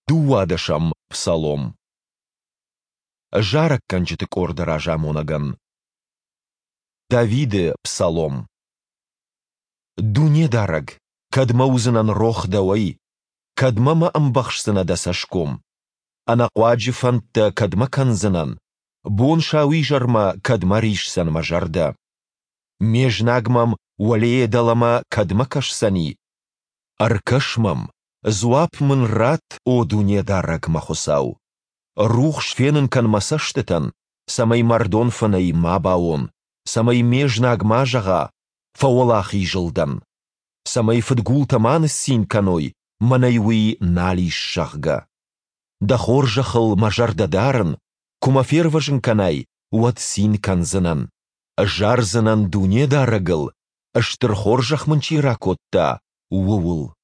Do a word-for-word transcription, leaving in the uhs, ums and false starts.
Дыууадӕсӕм псалом. Зарӕггӕнджыты къорды разамонӕгӕн. Давиды псалом. Дунедарӕг, кӕдмӕ уыдзынӕн рох Дӕуӕй? Кӕдмӕ мӕ ӕмбӕхсдзынӕ Дӕ цӕсгом? Ӕнӕхъуаджы фӕндтӕ кӕдмӕ кӕндзынӕн? Бон-сауизӕрмӕ кӕдмӕ рисдзӕн мӕ зӕрдӕ? Ме знаг мӕм уӕлейӕ дӕлӕмӕ кӕдмӕ кӕсдзӕни? Ӕркӕс мӕм, дзуапп мын ратт, о Дунедарӕг, мӕ Хуыцау! Рухс фенын кӕн мӕ цӕстытӕн, цӕмӕй мӕрдон фынӕй ма бауон, цӕмӕй ме знаг ма зӕгъа: «Фӕуӕлахиз ыл дӕн!» Цӕмӕй фыдгултӕ ма ныццин кӕной, мӕнӕй уый нал ис, зӕгъгӕ. Дӕ хорзӕхыл мӕ зӕрдӕ дарын, куы мӕ фервӕзын кӕнай, уӕд цин кӕндзынӕн. Зардзынӕн Дунедарӕгыл, стыр хорзӕх мын чи ракодта, ууыл.